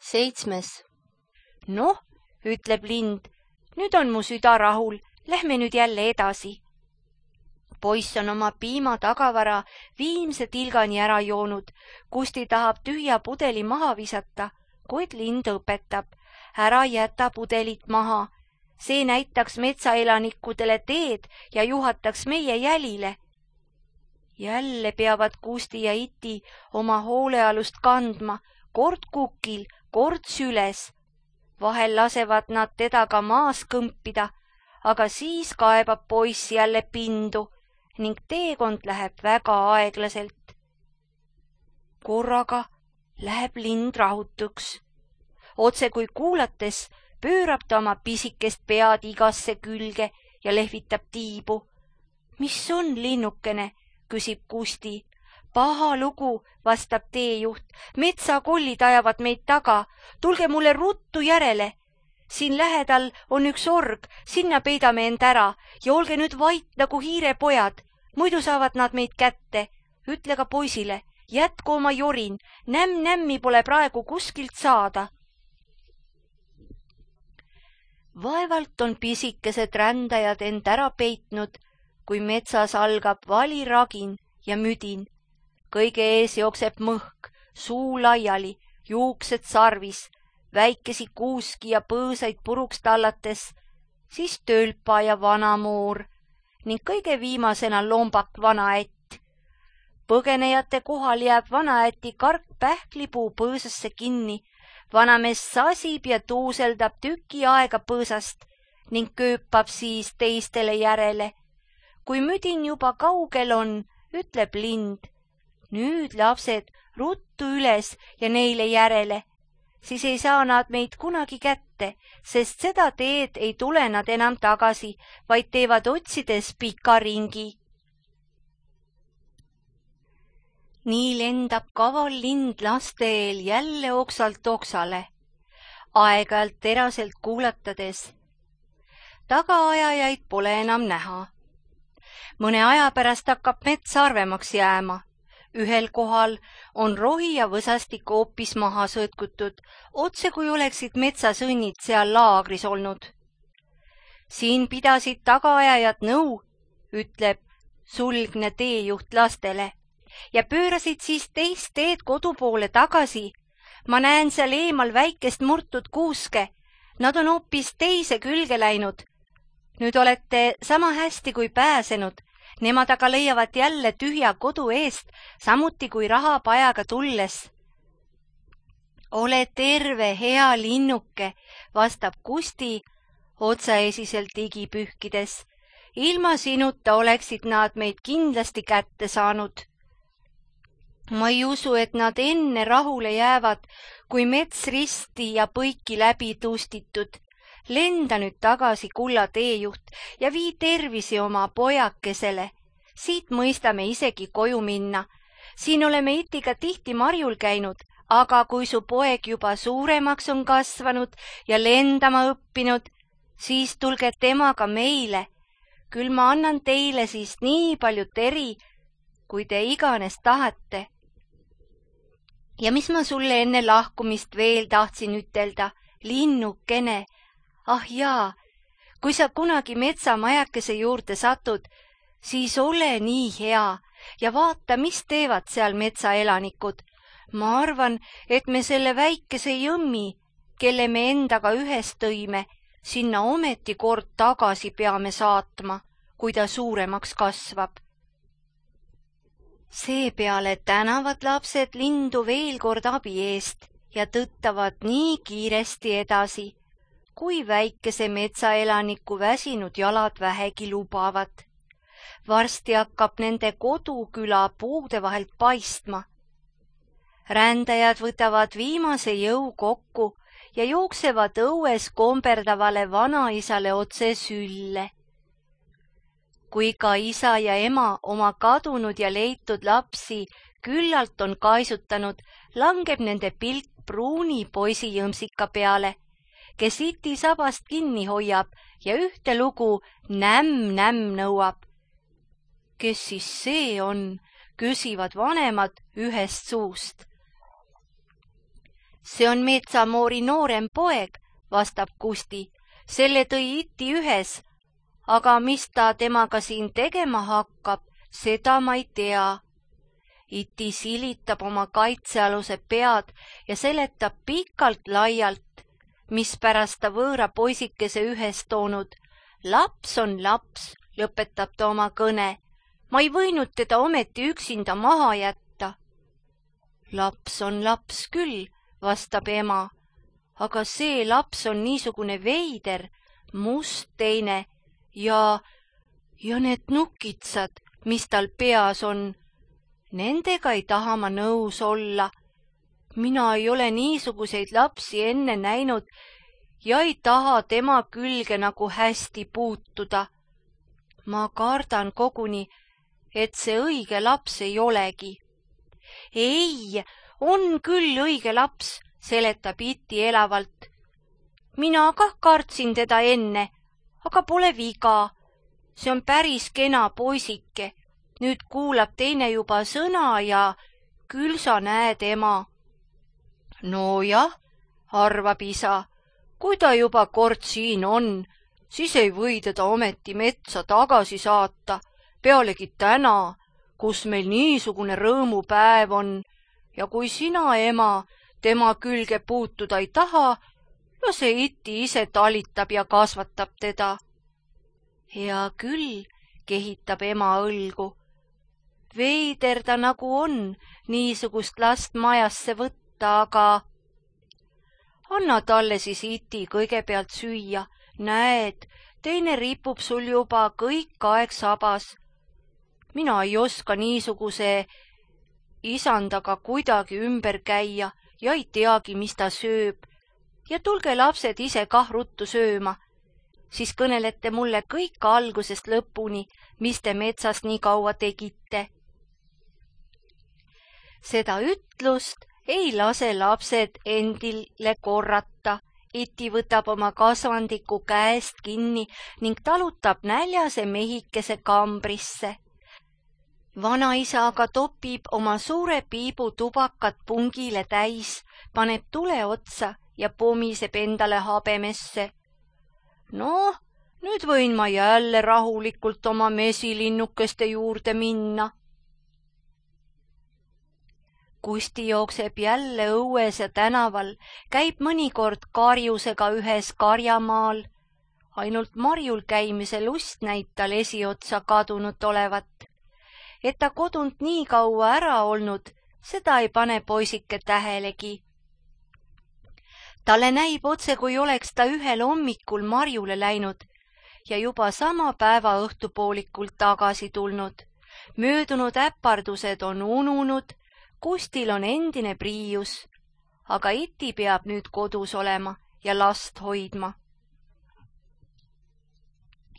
7. Noh, ütleb lind, nüüd on mu süda rahul, lähme nüüd jälle edasi. Poiss on oma piima tagavara viimse tilgani ära joonud. Kusti tahab tühja pudeli maha visata, kuid lind õpetab. Ära jäta pudelit maha. See näitaks metsaelanikudele teed ja juhataks meie jälile. Jälle peavad Kusti ja Iti oma hoolealust kandma, kord kukil, kord süles. Vahel lasevad nad teda ka maas kõmpida, aga siis kaebab poiss jälle pindu ning teekond läheb väga aeglaselt. Korraga läheb lind rahutuks. Otse kui kuulates pöörab ta oma pisikest pead igasse külge ja lehvitab tiibu. Mis on, linnukene, küsib Kusti. Paha lugu, vastab teejuht. Metsakollid ajavad meid taga. Tulge mulle ruttu järele. Siin lähedal on üks org, sinna peidame end ära ja olge nüüd vait nagu hiirepojad. Muidu saavad nad meid kätte. Ütle ka poisile, jätku oma jorin, nämmi pole praegu kuskilt saada. Vaevalt on pisikesed rändajad end ära peitnud, kui metsas algab valiragin ja müdin. Kõige ees jookseb mõhk, suu laiali, juuksed sarvis, väikesi kuuski ja põõsaid puruks tallates, siis tölpa ja vanamoor ning kõige viimasena lombak vanaätt. Põgenejate kohal jääb vanaäti kark pähklipuu põõsasse kinni. Vanamees sasib ja tuuseldab tüki aega põõsast ning kööpab siis teistele järele. Kui müdin juba kaugel on, ütleb lind, nüüd lapsed ruttu üles ja neile järele, siis ei saa nad meid kunagi kätte, sest seda teed ei tule nad enam tagasi, vaid teevad otsides pika ringi. Nii lendab kaval lind laste eel jälle oksalt oksale, aeg-ajalt teraselt kuulatades. Tagaajajaid pole enam näha. Mõne aja pärast hakkab mets harvemaks jääma. Ühel kohal on rohi ja võsastik hoopis maha sõtkutud, otse kui oleksid metsasõnnid seal laagris olnud. Siin pidasid tagaajajad nõu, ütleb sulgne teejuht lastele, ja pöörasid siis teist teed kodu poole tagasi. Ma näen seal eemal väikest murtud kuuske. Nad on hoopis teise külge läinud. Nüüd olete sama hästi kui pääsenud. Nemad aga leiavad jälle tühja kodu eest, samuti kui rahapajaga tulles. Ole terve, hea linnuke, vastab Kusti otsaesiselt ligi pühkides. Ilma sinuta oleksid nad meid kindlasti kätte saanud. Ma ei usu, et nad enne rahule jäävad, kui mets risti ja põiki läbi tustitud. Lenda nüüd tagasi, kulla teejuht, ja vii tervisi oma pojakesele. Siit mõistame isegi koju minna. Siin oleme Itiga tihti marjul käinud, aga kui su poeg juba suuremaks on kasvanud ja lendama õppinud, siis tulge temaga meile. Küll ma annan teile siis nii palju teri, kui te iganes tahate. Ja mis ma sulle enne lahkumist veel tahtsin ütelda, linnukene. Ah jaa, kui sa kunagi metsamajakese juurde satud, siis ole nii hea ja vaata, mis teevad seal metsaelanikud. Ma arvan, et me selle väikese jõmmi, kelle me endaga ühes tõime, sinna ometi kord tagasi peame saatma, kui ta suuremaks kasvab. Seepeale tänavad lapsed lindu veel kord abi eest ja tõttavad nii kiiresti edasi, kui väikese metsaelaniku väsinud jalad vähegi lubavad. Varsti hakkab nende koduküla puude vahelt paistma. Rändajad võtavad viimase jõu kokku ja jooksevad õues komberdavale vanaisale otse sülle. Kui ka isa ja ema oma kadunud ja leitud lapsi küllalt on kaisutanud, langeb nende pilk pruuni poisi jõmsika peale, kes Iti sabast kinni hoiab ja ühte lugu nämm nõuab. Kes siis see on, küsivad vanemad ühest suust. See on Metsamoori noorem poeg, vastab Kusti. Selle tõi Iti ühes, aga mis ta temaga siin tegema hakkab, seda ma ei tea. Iti silitab oma kaitsealuse pead ja seletab pikalt-laialt, mispärast ta võõra poisikese ühes toonud. Laps on laps, lõpetab ta oma kõne. Ma ei võinud teda ometi üksinda maha jätta. Laps on laps küll, vastab ema, aga see laps on niisugune veider, must teine ja need nukitsad, mis tal peas on. Nendega ei taha ma nõus olla. Mina ei ole niisuguseid lapsi enne näinud ja ei taha tema külge nagu hästi puutuda. Ma kardan koguni, et see õige laps ei olegi. Ei, on küll õige laps, seletab Iti elavalt. Mina kah kartsin teda enne, aga pole viga. See on päris kena poisike. Nüüd kuulab teine juba sõna ja küll sa näed ema. No jah, arvab isa, kui ta juba kord siin on, siis ei või teda ometi metsa tagasi saata, pealegi täna, kus meil niisugune rõõmupäev on ja kui sina, ema, tema külge puutuda ei taha, lase Iti ise talitab ja kasvatab teda. Hea küll, kehitab ema õlgu. Veider ta nagu on niisugust last majasse võtta, aga anna talle siis Iti kõigepealt süüa. Näed, teine ripub sul juba kõik aeg sabas. Mina ei oska niisuguse isandaga kuidagi ümber käia ja ei teagi, mis ta sööb. Ja tulge lapsed ise kah ruttu sööma. Siis kõnelete mulle kõik algusest lõpuni, mis te metsas nii kaua tegite. Seda ütlust ei lase lapsed endile korrata. Iti võtab oma kasvandiku käest kinni ning talutab näljase mehikese kambrisse. Vanaisa aga topib oma suure piibu tubakat pungile täis, paneb tule otsa ja pomiseb endale habemesse. No, nüüd võin ma jälle rahulikult oma mesilinnukeste juurde minna. Kusti jookseb jälle õues ja tänaval, käib mõnikord karjusega ühes karjamaal. Ainult marjul käimise lust näib tal esiotsa kadunud olevat. Et ta kodunt nii kaua ära olnud, seda ei pane poisike tähelegi. Talle näib otse, kui oleks ta ühel hommikul marjule läinud ja juba sama päeva õhtupoolikul tagasi tulnud. Möödunud äpardused on ununud, Kustil on endine priius, aga Iti peab nüüd kodus olema ja last hoidma.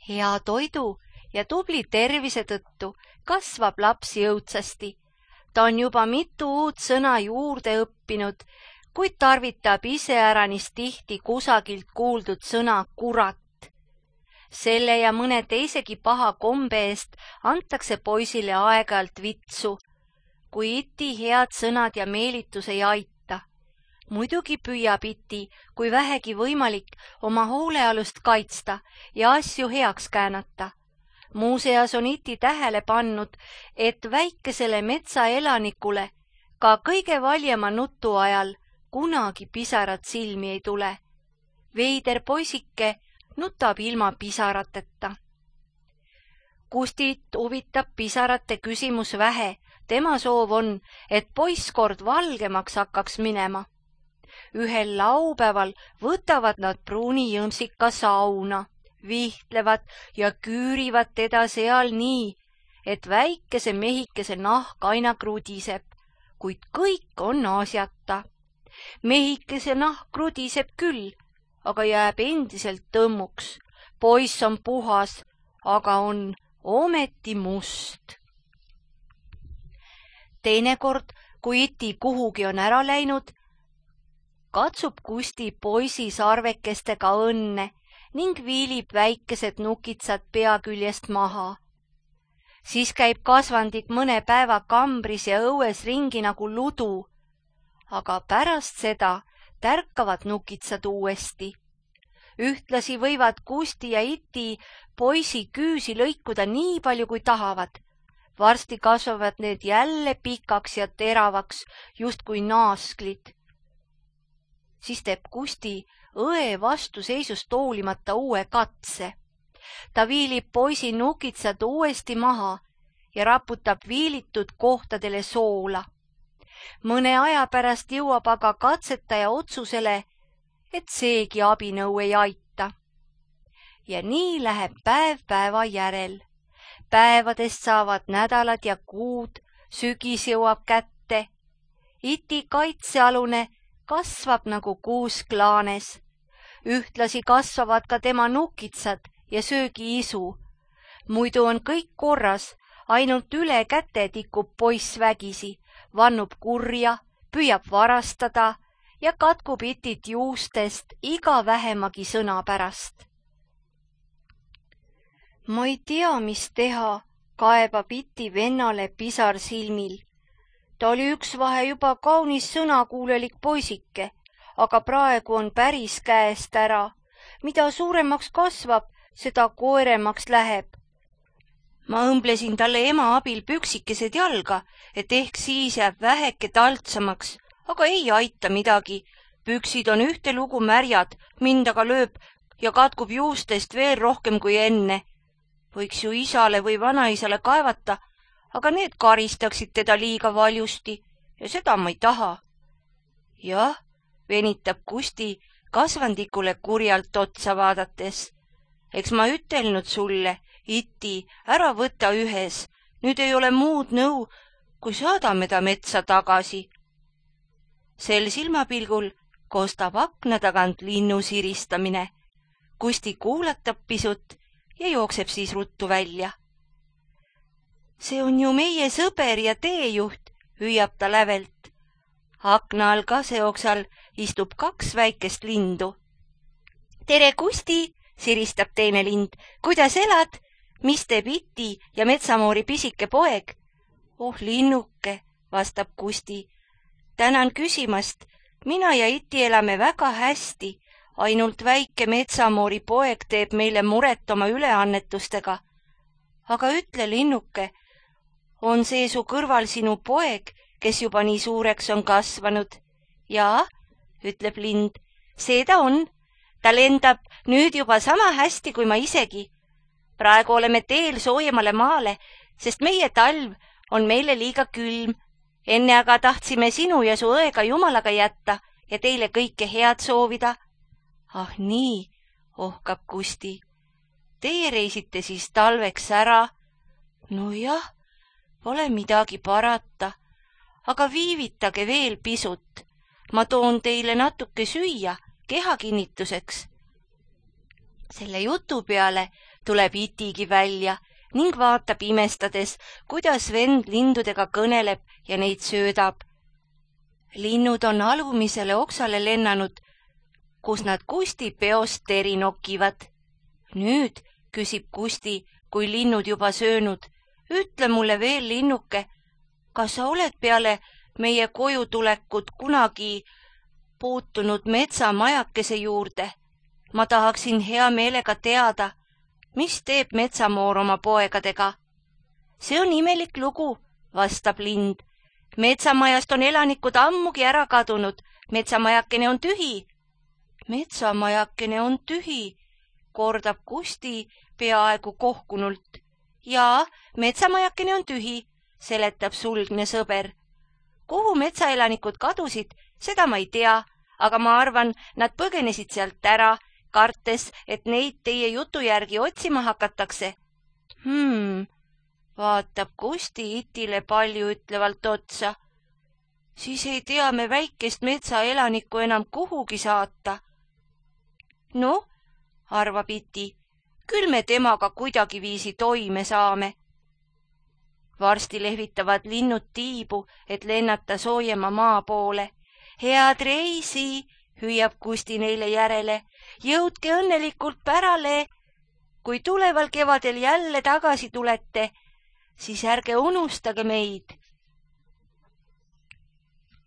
Hea toidu ja tubli tervise tõttu kasvab laps jõudsasti. Ta on juba mitu uut sõna juurde õppinud, kuid tarvitab iseäranis tihti kusagilt kuuldud sõna kurat. Selle ja mõne teisegi paha kombe eest antakse poisile aeg-ajalt vitsu, kui Iti head sõnad ja meelitus ei aita. Muidugi püüab Iti, kui vähegi võimalik, oma hoolealust kaitsta ja asju heaks käänata. Muuseas on Iti tähele pannud, et väikesele metsaelanikule ka kõige valjema nutu ajal kunagi pisarat silmi ei tule. Veider poisike nutab ilma pisarateta. Kustit huvitab pisarate küsimus vähe. Tema soov on, et poiss kord valgemaks hakkaks minema. Ühel laupäeval võtavad nad pruuni jõmsika sauna, vihtlevad ja küürivad teda seal nii, et väikese mehikese nahk aina krudiseb, kuid kõik on asjata. Mehikese nahk krudiseb küll, aga jääb endiselt tõmmuks. Poiss on puhas, aga on ometi must. Teinekord, kui Iti kuhugi on ära läinud, katsub Kusti poisi sarvekestega õnne ning viilib väikesed nukitsad pea küljest maha. Siis käib kasvandik mõne päeva kambris ja õues ringi nagu ludu, aga pärast seda tärkavad nukitsad uuesti. Ühtlasi võivad Kusti ja Iti poisi küüsi lõikuda nii palju, kui tahavad. Varsti kasvavad need jälle pikaks ja teravaks, justkui naasklid. Siis teeb Kusti õe vastuseisust hoolimata uue katse. Ta viilib poisi nukitsad uuesti maha ja raputab viilitud kohtadele soola. Mõne aja pärast jõuab aga katsetaja otsusele, et seegi abinõu ei aita. Ja nii läheb päev päeva järel. Päevadest saavad nädalad ja kuud, sügis jõuab kätte. Iti kaitsealune kasvab nagu kuusklaanes. Ühtlasi kasvavad ka tema nukitsad ja söögiisu. Muidu on kõik korras, ainult üle käte tikub poiss vägisi, vannub kurja, püüab varastada ja katkub Itit juustest iga vähemagi sõna pärast. Ma ei tea, mis teha, kaebab Iti vennale pisar silmil. Ta oli üksvahe juba kaunis sõnakuulelik poisike, aga praegu on päris käest ära. Mida suuremaks kasvab, seda koeremaks läheb. Ma õmblesin talle ema abil püksikesed jalga, et ehk siis jääb väheke taltsamaks, aga ei aita midagi. Püksid on ühtelugu märjad, mind aga lööb ja katkub juustest veel rohkem kui enne. Võiks ju isale või vanaisale kaevata, aga need karistaksid teda liiga valjusti ja seda ma ei taha. Jah, venitab Kusti kasvandikule kurjalt otsa vaadates. Eks ma ütelnud sulle, Iti, ära võta ühes, nüüd ei ole muud nõu, kui saadame ta metsa tagasi. Sel silmapilgul kostab akna tagant linnu siristamine. Kusti kuulatab pisut ja jookseb siis ruttu välja. See on ju meie sõber ja teejuht, hüüab ta lävelt. Akna all kaseoksal istub 2 väikest lindu. Tere, Kusti, siristab teine lind. Kuidas elad? Mis teeb Iti ja metsamoori pisike poeg? Oh, linnuke, vastab Kusti. Tänan küsimast. Mina ja Iti elame väga hästi. Ainult väike metsamoori poeg teeb meile muret oma üleannetustega. Aga ütle, linnuke, on see su kõrval sinu poeg, kes juba nii suureks on kasvanud? Jaa, ütleb lind, see ta on. Ta lendab nüüd juba sama hästi kui ma isegi. Praegu oleme teel soojemale maale, sest meie talv on meile liiga külm. Enne aga tahtsime sinu ja su õega jumalaga jätta ja teile kõike head soovida. Ah nii, ohkab Kusti. Teie reisite siis talveks ära? No jah, pole midagi parata, aga viivitage veel pisut. Ma toon teile natuke süüa kehakinnituseks. Selle jutu peale tuleb Itigi välja ning vaatab imestades, kuidas vend lindudega kõneleb ja neid söödab. Linnud on alumisele oksale lennanud, kus nad Kusti peost teri nokivad. Nüüd, küsib Kusti, kui linnud juba söönud, ütle mulle veel, linnuke, kas sa oled peale meie koju tulekut kunagi puutunud metsamajakese juurde? Ma tahaksin hea meelega teada, mis teeb metsamoor oma poegadega. See on imelik lugu, vastab lind. Metsamajast on elanikud ammugi ära kadunud. Metsamajakene on tühi. Metsamajakene on tühi, kordab Kusti peaaegu kohkunult. Jaa, metsamajakene on tühi, seletab sulgne sõber. Kuhu metsaelanikud kadusid, seda ma ei tea, aga ma arvan, nad põgenesid sealt ära, kartes, et neid teie jutu järgi otsima hakatakse. Vaatab Kusti Itile palju ütlevalt otsa. Siis ei tea me väikest metsaelanikku enam kuhugi saata. No, arvab Iti, küll me temaga kuidagiviisi toime saame. Varsti lehvitavad linnud tiibu, et lennata soojema maa poole. Head reisi, hüüab Kusti neile järele. Jõudke õnnelikult pärale. Kui tuleval kevadel jälle tagasi tulete, siis ärge unustage meid